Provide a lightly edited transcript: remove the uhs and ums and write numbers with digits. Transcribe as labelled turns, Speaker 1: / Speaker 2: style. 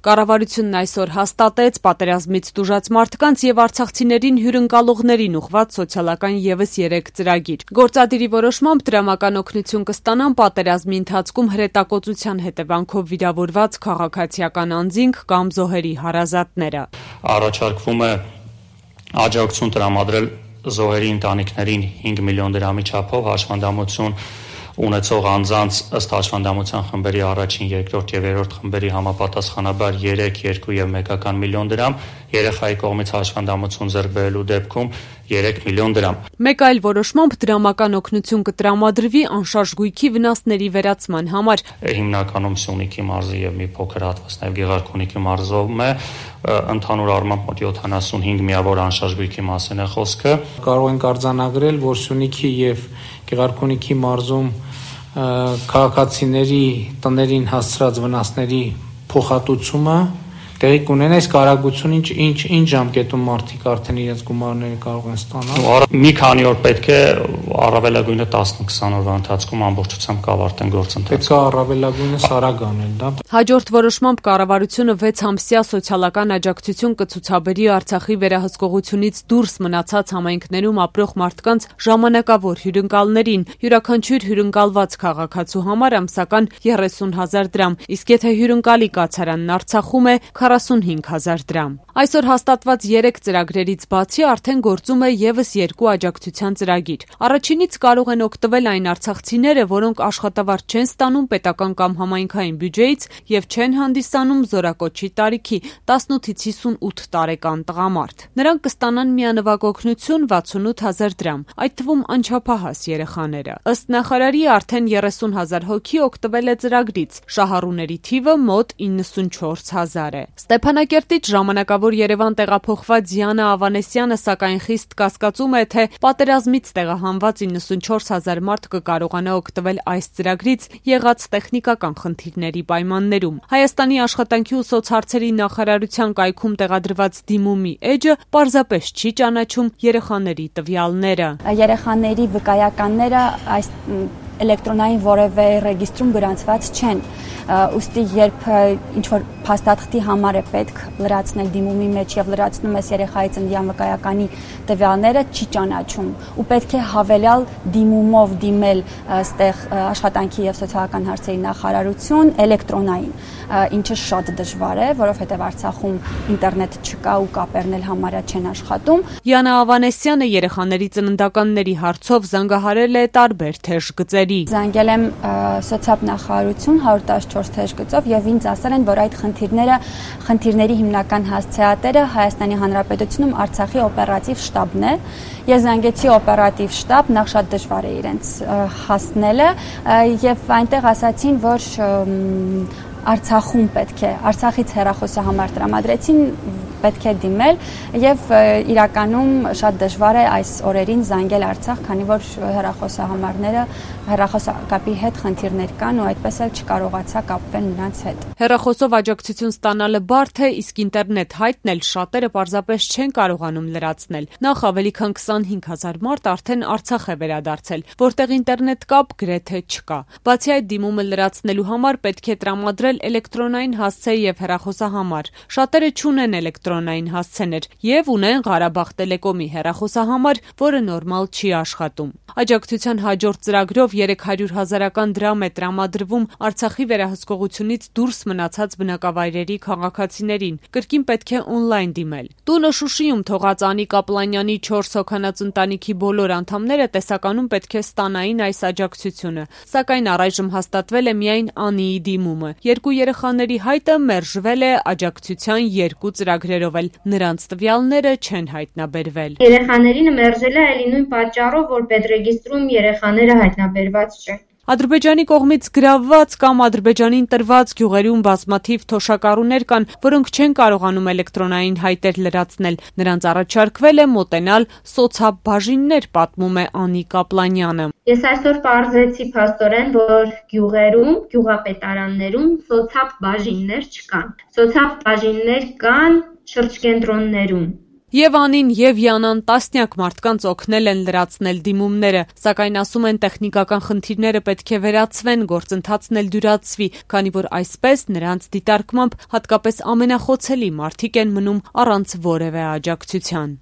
Speaker 1: Կառավարությունն այսօր հաստատեց պատերազմից տուժած մարդկանց եւ արցախցիներին հյուրընկալողներին ուղղված սոցիալական եւս 3 ծրագիր։ Գործադիրի որոշմամբ դրամական օգնություն կստանան պատերազմի ընթացքում հրետակոծության հետևանքով վիրավորված քաղաքացիական անձինք կամ զոհերի հարազատները։
Speaker 2: Առաջարկվում է աջակցություն տրամադրել զոհերի ընտանիքներին 5 միլիոն դրամի չափով հաշվանդամություն ունեցող անձանց ըստ հաշվանդամության խմբերի առաջին, երկրորդ եւ երրորդ խմբերի համապատասխանաբար 3, 2 եւ 1 միլիոն դրամ, երեխայի կողմից հաշվանդամություն ձեռք բերելու դեպքում 3 միլիոն դրամ։
Speaker 1: Մեկ այլ որոշմամբ դրամական օգնություն կտրամադրվի անշարժ գույքի վնասների վերացման համար։
Speaker 2: Հիմնականում Սյունիքի մարզի եւ մի փոքր հատված նաեւ Գեղարքունիքի մարզում է, ընդհանուր առմամբ մոտ 75 միավոր անշարժ գույքի մասին է խոսքը։
Speaker 3: Կարող ենք արձանագրել, որ Սյունիքի եւ Գեղարքունիքի մարզում քաղաքացիների տներին հասցրած վնասների փոխհատուցումը տեղի կունենա, իսկ արագությունը ինչ ժամկետում մարդիկ արդեն իրենց գումարները կարող են ստանալ։
Speaker 2: Մի քանի օր պետք է, առավելագույնը 10-20 օրվա ընթացքում ամբողջությամբ կավարտեն գործընթացը։
Speaker 3: Պետք է առավելագույնս արագ անել դա։
Speaker 1: Հաջորդ որոշմամբ կառավարությունը 6 ամսյա սոցիալական աջակցություն կցուցաբերի Արցախի վերահսկողությունից դուրս մնացած համայնքներում ապրող մարդկանց ժամանակավոր հյուրընկալներին, յուրաքանչյուր հյուրընկալված քաղաքացու համար ամսական 30,000 դրամ, իսկ եթե հյուրընկալի կացարանն Արցախում է 45,000 դրամ։ Այսօր հաստատված 3 ծրագրերից բացի արդեն գործում է եւս 2 աջակցության ծրագիր։ Առաջինից կարող են օգտվել այն արցախցիները, որոնք աշխատավարձ չեն ստանում պետական կամ համայնքային բյուջեից եւ չեն հանդիսանում զորակոչի տարիքի 18-ից 58 տարեկան տղամարդ։ Նրանք կստանան միանվագ օգնություն 68,000 դրամ, այդ թվում անչափահաս երեխաները։ Ըստ նախարարի արդեն 30,000 հոգի օգտվել է ծրագրից, շահառուների թիվը մոտ 94,000 է։ Ստեփանակերտից ժամանակավոր Երևան տեղափոխված Դիանա Ավանեսյանը սակայն խիստ կասկածում է, թե պատերազմից տեղահանված 94,000 մարդ կկարողանա օգտվել այս ծրագրից եղած տեխնիկական խնդիրների պայմաններում։ Հայաստանի աշխատանքի ու սոցհարցերի նախարարության կայքում տեղադրված դիմումի էջը պարզապես չի ճանաչում երեխաների տվյալները։
Speaker 4: Երեխաների վկայականները այս էլեկտրոնային որևէ ռեգիստրում գրանցված չեն։ Ուստի երբ ինչ-որ փաստաթղթի համար է պետք լրացնել դիմումի մեջ եւ լրացնում ես երեխայի ծննդյան վկայականի տվյալները, չի ճանաչում ու պետք է հավելյալ դիմումով դիմել այստեղ աշխատանքի եւ սոցիալական հարցերի նախարարություն էլեկտրոնային, ինչը շատ դժվար է, որովհետեւ Արցախում ինտերնետ չկա ու կապերն էլ համարյա չեն աշխատում։
Speaker 1: Դիանա Ավանեսյանը երեխաների ծննդականների հարցով զանգահարել է տարբեր թեժ գծերի։
Speaker 4: Զանգել եմ սոցիալ նախարարություն 114 թեժ գծով եւ ինձ ասել են, որ այդ խնդիրների հիմնական հասցեատերը Հայաստանի Հանրապետությունում Արցախի օպերատիվ շտաբն է։ Ես զանգեցի օպերատիվ շտաբ, նախ շատ դժվար է իրենց հասնելը եւ այնտեղ ասացին, որ Արցախում պետք է, Արցախից հեռախոսահամար տրամադրեցին, պետք է դիմել եւ իրականում շատ դժվար է այս օրերին զանգել Արցախ, քանի որ հեռախոսահամարները հեռախոսակապի հետ խնդիրներ կան ու այդպես էլ չկարողացա կապվել նրանց հետ։
Speaker 1: Հեռախոսով աջակցություն ստանալը բարդ է, իսկ ինտերնետ հայտն էլ շատերը պարզապես չեն կարողանում լրացնել։ Նախ ավելի քան 25,000 մարդ արդեն Արցախ է վերադարձել, որտեղ ինտերնետ կապ գրեթե չկա։ Բացի այդ, դիմումը լրացնելու համար պետք է տրամադրել էլեկտրոնային հասցե եւ հեռախոսահամար։ Շատերը չունեն էլեկտրոնային հասցեներ եւ ունեն Ղարաբաղ Տելեկոմի հեռախոսահամար, որը նորմալ չի աշխատում։ Աջակցության հաջորդ ծրագրով 300,000 դրամ է տրամադրվում Արցախի վերահսկողությունից դուրս մնացած բնակավայրերի քաղաքացիներին։ Կրկին պետք է օնլայն դիմել։ Տունը Շուշիում թողած Անի Կապլանյանի 4 հոգանոց ընտանիքի բոլոր անդամները տեսականում պետք է ստանային այս աջակցությունը, սակայն առայժմ հաստատվել է միայն Անիի դիմումը։ Երկու երեխաների հայտը մերժվել է աջակցության 2 ծրագրերով էլ, նրանց տվյալները չեն հայտնաբերվել։
Speaker 5: Երեխաներին մերժել է այլ նույն պատճառով, որ պետրեգիստրում երեխաները հայտնաբերված չեն։
Speaker 1: Ադրբեջանի կողմից գրավված կամ Ադրբեջանին տրված գյուղերում բազմաթիվ թոշակառուներ կան, որոնք չեն կարողանում էլեկտրոնային հայտեր լրացնել։ Նրանց առաջարկվել է մոտենալ սոցհաբ բաժիններ, պատմում է Անի Կապլանյանը։
Speaker 5: Ես այսօր պարզեցի փաստորեն, որ գյուղերում, գյուղապետարաններում սոցհաբ բաժիններ չկան։ Սոցհաբ բաժիններ կան շրջկենտրոններում։
Speaker 1: Եվ Անին եւ Յանան տասնյակ մարդկանց օգնել են լրացնել դիմումները, սակայն ասում են տեխնիկական խնդիրները պետք է վերացվեն, գործընթացն էլ դյուրացվի, քանի որ այսպես նրանց դիտարկմամբ հատկապես ամենախոցելի մարդիկ են մնում առանց որևէ աջակցության։